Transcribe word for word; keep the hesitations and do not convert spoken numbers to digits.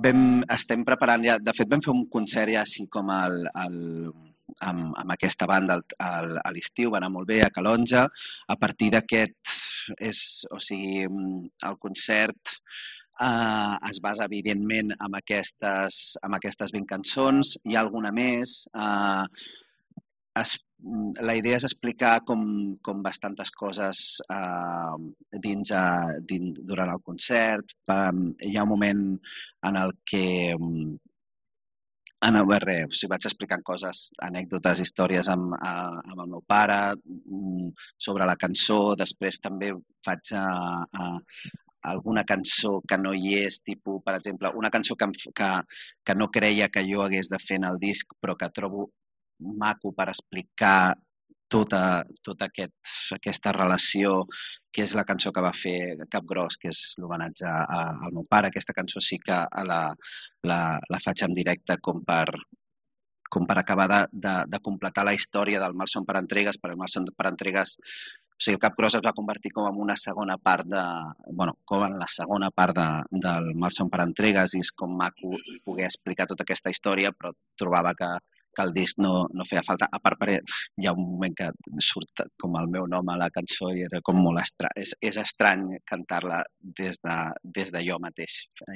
vam, estem preparant ja, de fet vam fer un concert ja així com el, el, amb, amb aquesta banda al, al, a l'estiu, va anar molt bé a Calonja. A partir d'aquest, és, o sigui, el concert eh, es basa evidentment en aquestes, en aquestes vint cançons, hi ha alguna més. Eh, es, la idea és explicar com, com bastantes coses eh, dins, eh, dins, durant el concert. Um, hi ha un moment en el que um, en el res, o sigui, vaig explicant coses, anècdotes, històries amb, uh, amb el meu pare, um, sobre la cançó. Després també faig uh, uh, alguna cançó que no hi és, tipus, per exemple, una cançó que, que, que no creia que jo hagués de fer en el disc, però que trobo maco per explicar tota, tota aquest, aquesta relació, que és la cançó que va fer Capgròs, que és l'homenatge al meu pare. Aquesta cançó sí que la, la, la faig en directe com per, com per acabar de, de, de completar la història del Malson per entregues, perquè el Malson per entregues, o sigui, el Capgròs es va convertir com en una segona part de, bueno, com en la segona part de, del Malson per entregues, i és com maco poder explicar tota aquesta història, però trobava que que el disc no, no feia falta. A part, hi ha un moment que surt com el meu nom a la cançó i era com molt estrany. És, és estrany cantar-la des de, des de jo mateix.